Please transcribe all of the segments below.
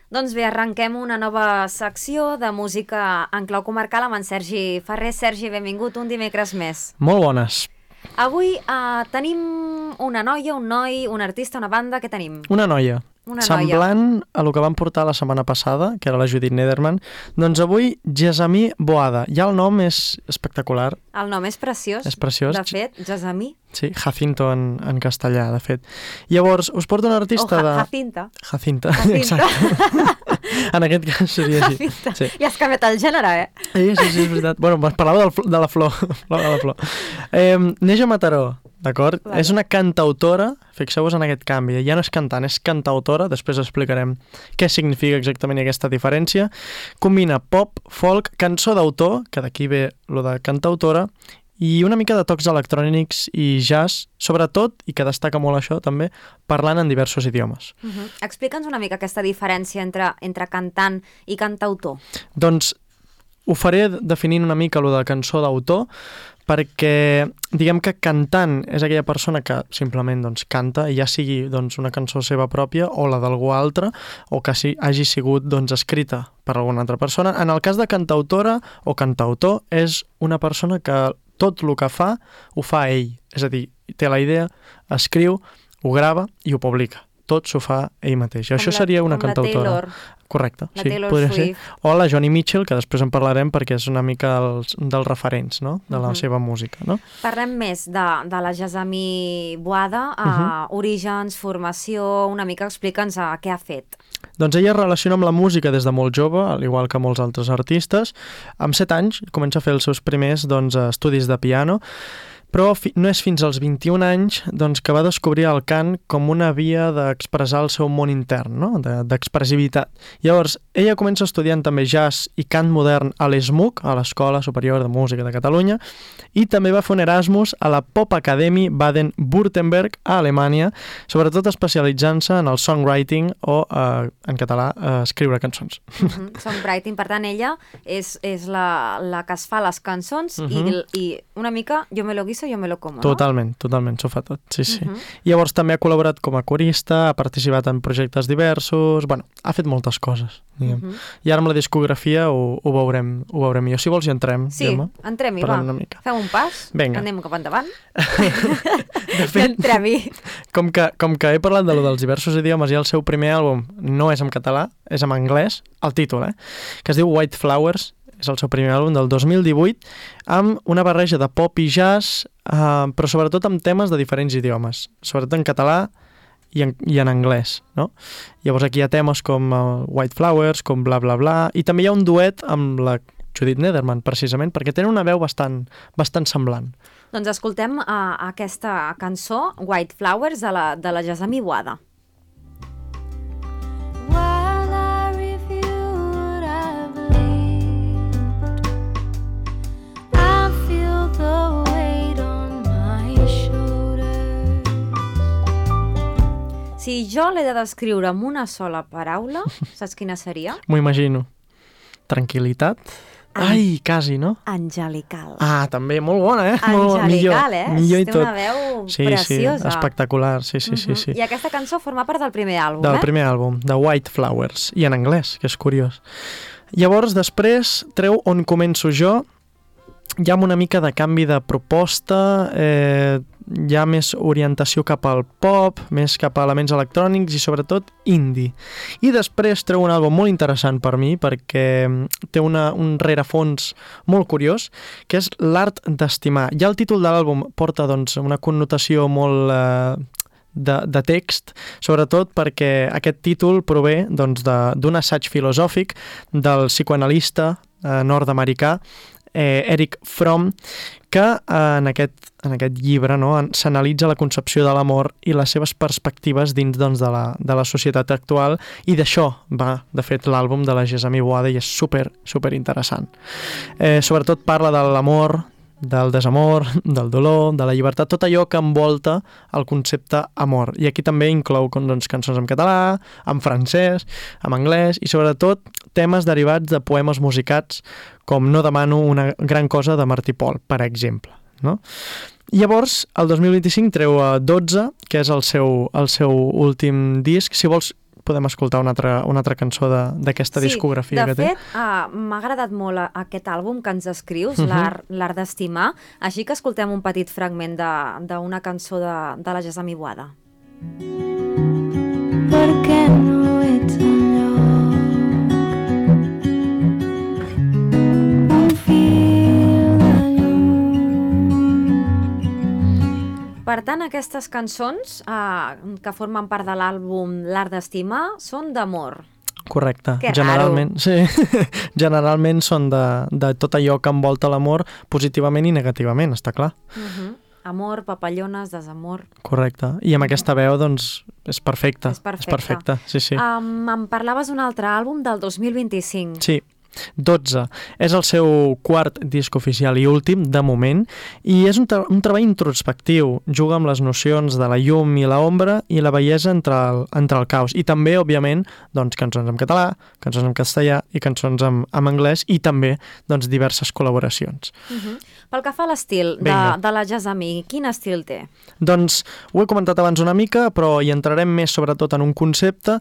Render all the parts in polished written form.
Doncs bé, arrenquem una nova secció de música en clau comarcal amb en Sergi Ferrer. Sergi, benvingut un dimecres més. Molt bones. Avui tenim una noia, un noi, un artista, una banda, què tenim? Una noia. Semblant a el que vam portar la setmana passada, que era la Judith Nederman, doncs avui Jazami Boada. Ja el nom és espectacular. El nom és preciós. És preciós. De fet, Jazami. Sí, Jacinto en castellà, de fet. Llavors, us porto un artista de... Jacinta. Jacinta, exacte. En aquest cas seria així. Jacinta. Sí. Ja has canviat el gènere, Sí, és veritat. Bueno, parlava de la flor. Neix a Mataró, d'acord? Claro. És una cantautora, fixeu-vos en aquest canvi, ja no és cantant, és cantautora, després explicarem què significa exactament aquesta diferència. Combina pop, folk, cançó d'autor, que d'aquí ve lo de cantautora, i una mica de tocs electrònics i jazz, sobretot, i que destaca molt això també, parlant en diversos idiomes. Explica'ns una mica aquesta diferència entre cantant i cantautor. Doncs ho faré definint una mica lo de cançó d'autor, perquè diguem que cantant és aquella persona que simplement doncs, canta, i ja sigui doncs, una cançó seva pròpia o la d'algú altre, o que hagi sigut doncs, escrita per alguna altra persona. En el cas de cantautora o cantautor, és una persona que tot el que fa, ho fa ell. És a dir, té la idea, escriu, ho grava i ho publica. Tot s'ho fa ell mateix. Això seria una cantautora. La Taylor. Correcte. La sí, Taylor podria Swift. ser. O la Joni Mitchell, que després en parlarem perquè és una mica dels referents, no? De la seva música. No? Parlem més de la Jazami Boada, orígens, formació, una mica explica'ns què ha fet. Doncs ella es relaciona amb la música des de molt jove, al igual que molts altres artistes. Amb 7 anys comença a fer els seus primers estudis de piano, però no és fins als 21 anys doncs, que va descobrir el cant com una via d'expressar el seu món intern, no? D'expressivitat. Llavors, ella comença estudiant també jazz i cant modern a l'ESMUC, a l'Escola Superior de Música de Catalunya, i també va fer un Erasmus a la Pop Academy Baden-Württemberg a Alemanya, sobretot especialitzant-se en el songwriting o, en català, escriure cançons. Songwriting, per tant, ella és la que es fa les cançons i una mica jo me lo guiso, jo me lo como, no? Totalment, s'ho fa tot, sí. Llavors també ha col·laborat com a corista, ha participat en projectes diversos, bueno, ha fet moltes coses, diguem. I ara amb la discografia ho veurem millor. Si vols hi entrem, sí, Gemma. entrem-hi, va. Fem un pas, Vinga. anem cap endavant. De fet, entrem-hi. Com que he parlat dels diversos idiomes i el seu primer àlbum no és en català, és en anglès, el títol, que es diu White Flowers, és el seu primer àlbum del 2018, amb una barreja de pop i jazz, però sobretot amb temes de diferents idiomes, sobretot en català i en anglès, no? Llavors aquí hi ha temes com White Flowers, com Bla Bla Bla, i també hi ha un duet amb la Judith Nederman, precisament, perquè tenen una veu bastant semblant. Doncs escoltem aquesta cançó, White Flowers, de la Jazami Boada. Si jo l'he de descriure amb una sola paraula, saps quina seria? M'ho imagino. Tranquil·litat? Ai, quasi, no? Angelical. Ah, també, molt bona, Angelical, millor i té tot. una veu Sí, preciosa. espectacular, sí. I aquesta cançó forma part del primer àlbum, Del primer àlbum, de White Flowers, i en anglès, que és curiós. Llavors, després, treu On començo jo, hi ha una mica de canvi de proposta, hi ha més orientació cap al pop, més cap a elements electrònics i sobretot indie. I després treu un àlbum molt interessant per mi perquè té un rerefons molt curiós, que és L'art d'estimar. Ja el títol de l'àlbum porta doncs, una connotació molt de text, sobretot perquè aquest títol prové doncs, d'un assaig filosòfic del psicoanalista nord-americà Erich Fromm, que en aquest llibre s'analitza la concepció de l'amor i les seves perspectives dins doncs, de la societat actual, i d'això va, de fet, l'àlbum de la Jazami Boada, i és super interessant. Sobretot parla de l'amor, del desamor, del dolor, de la llibertat, tot allò que envolta el concepte amor. I aquí també inclou doncs, cançons en català, en francès, en anglès, i sobretot temes derivats de poemes musicats com No demano una gran cosa de Martí Pol, per exemple. No? Llavors, el 2025 treu 12, que és el seu últim disc. Si vols, podem escoltar una altra cançó d'aquesta discografia que té. Sí, de fet, m'ha agradat molt aquest àlbum que ens escrius, L'art d'estimar, així que escoltem un petit fragment d'una cançó de la Jasmine Boada. Per què no ets enlloc? Un fil de llum. Per tant, aquestes cançons que formen part de l'àlbum L'art d'estimar són d'amor. Correcte. Que generalment, sí. Generalment són de tot allò que envolta l'amor positivament i negativament, està clar. Amor, papallones, desamor... Correcte. I amb aquesta veu, doncs, és perfecte. És perfecte. És perfecte, sí, sí. Em parlaves d'un altre àlbum del 2025. Sí, 12. És el seu quart disc oficial i últim, de moment, i és un treball introspectiu. Juga amb les nocions de la llum i l'ombra i la bellesa entre el caos. I també, òbviament, doncs, cançons en català, cançons en castellà i cançons en anglès i també doncs, diverses col·laboracions. Pel que fa a l'estil de la Jasmine, quin estil té? Doncs ho he comentat abans una mica, però hi entrarem més sobretot en un concepte.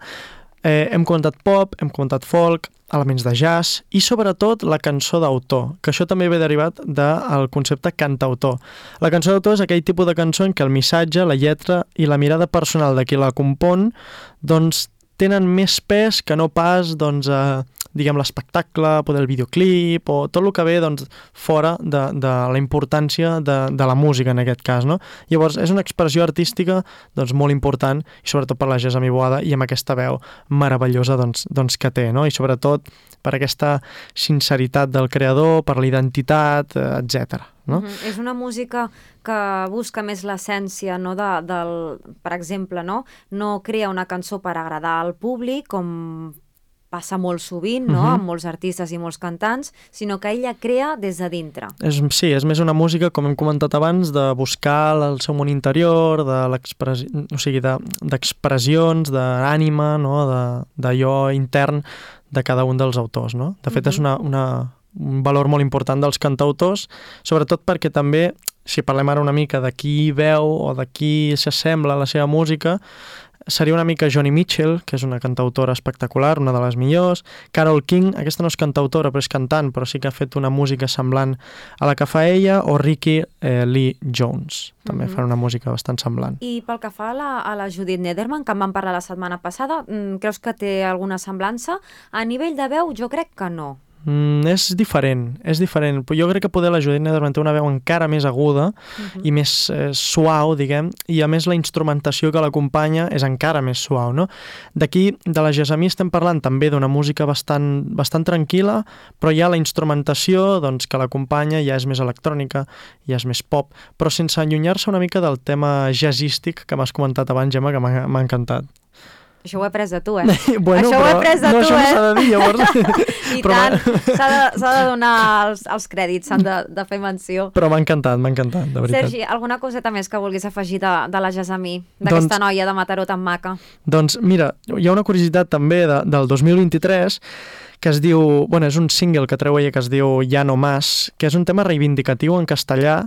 Hem comentat pop, hem comentat folk, elements de jazz i sobretot la cançó d'autor, que això també ve derivat del concepte cantautor. La cançó d'autor és aquell tipus de cançó en què el missatge, la lletra i la mirada personal de qui la compon doncs tenen més pes que no pas doncs, diguem l'espectacle, poder el videoclip o tot el que ve doncs, fora de la importància de la música en aquest cas, no? Llavors és una expressió artística doncs, molt important i sobretot per la Jasmine Boada i amb aquesta veu meravellosa doncs, que té, no? I sobretot per aquesta sinceritat del creador, per la identitat, etc. No? És una música que busca més l'essència, no, per exemple, no crea una cançó per agradar al públic, com passa molt sovint, no? Amb molts artistes i molts cantants, sinó que ella crea des de dintre. Sí, és més una música, com hem comentat abans, de buscar el seu món interior, d'expressions, d'ànima, no? D'allò intern de cada un dels autors. No? De fet, és un valor molt important dels cantautors, sobretot perquè també, si parlem ara una mica de qui veu o de qui s'assembla a la seva música, seria una mica Joni Mitchell, que és una cantautora espectacular, una de les millors. Carole King, aquesta no és cantautora, però és cantant, però sí que ha fet una música semblant a la que fa ella, o Ricky Lee Jones. També fan una música bastant semblant. I pel que fa a la Judith Nederman, que en vam parlar la setmana passada, creus que té alguna semblança? A nivell de veu, jo crec que no. És diferent. Jo crec que poder la Judith Nederman té una veu encara més aguda i més suau, diguem, i a més la instrumentació que l'acompanya és encara més suau, no? D'aquí, de la Jasmine estem parlant també d'una música bastant tranquil·la, però ja la instrumentació doncs, que l'acompanya ja és més electrònica, ja és més pop, però sense allunyar-se una mica del tema jazzístic que m'has comentat abans, Gemma, que m'ha encantat. Això ho he après de tu, Bueno, això ho he après de tu, això no s'ha de dir, llavors. I tant, s'ha de donar els crèdits, s'han de fer menció. Però m'ha encantat, de veritat. Sergi, alguna coseta més que vulguis afegir de la Jasmine, d'aquesta noia de Mataró tan maca? Doncs mira, hi ha una curiositat també del 2023 que es diu, bueno, és un single que treu ella que es diu Ja no más, que és un tema reivindicatiu en castellà,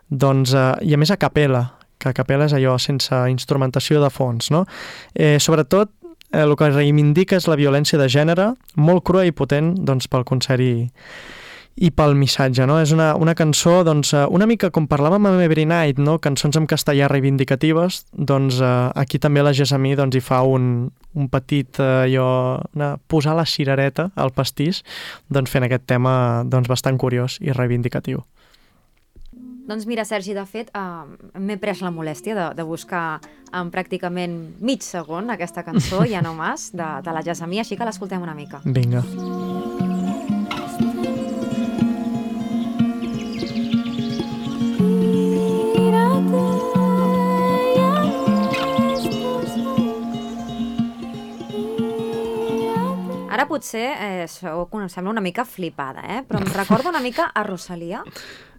doncs, i a més a capella, que a capella és allò sense instrumentació de fons, no? Sobretot, el que reivindica és la violència de gènere, molt crua i potent doncs, pel concert i pel missatge, no? És una cançó, doncs, una mica com parlàvem amb Every Night, no? Cançons en castellà reivindicatives, doncs aquí també la Jasmine doncs, hi fa un petit, posar la cirereta al pastís, doncs fent aquest tema doncs, bastant curiós i reivindicatiu. Doncs mira, Sergi, de fet, m'he pres la molèstia de buscar en pràcticament mig segon aquesta cançó, Ja no más, de la Jasmine, així que l'escoltem una mica. Vinga. Ara potser em sembla una mica flipada, però em recorda una mica a Rosalia.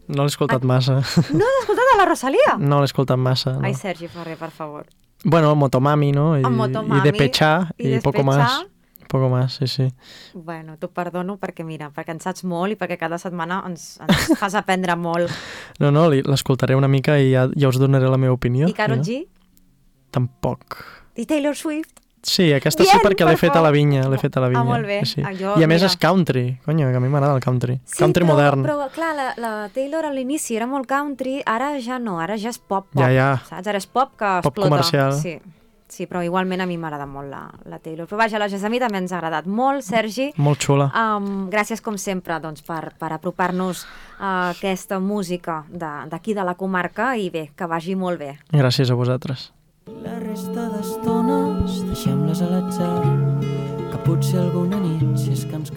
No l'he escoltat massa. No l'has escoltat a la Rosalia? No l'he escoltat massa, no. Ai, Sergi Ferrer, per favor. Bueno, Motomami, ¿no? Motomami. Y Despechar, y poco más. Poco más, sí. Bueno, t'ho perdono perquè en saps molt i perquè cada setmana ens fas aprendre molt. No, l'escoltaré una mica i ja us donaré la meva opinió. I Karol G? Tampoc. I Taylor Swift? Sí, aquesta sí Bien, perquè l'he per fet a la favor. vinya, l'he fet a la vinya. molt bé. Sí. Jo, I a més mira. és country, conyo, que a mi m'agrada el country. Country però, modern. Però, clar, la Taylor a l'inici era molt country, ara ja no, ara ja és pop, Ja. saps? Ara és pop que Pop explota. comercial. Sí, però igualment a mi m'agrada molt la Taylor. Però vaja, la Jessamí també ens ha agradat molt, Sergi. Molt xula. Gràcies, com sempre, doncs, per apropar-nos a aquesta música d'aquí de la comarca i bé, que vagi molt bé. Gràcies a vosaltres. La resta d'estones deixem-les a l'atzar, que potser alguna nit, si és que ens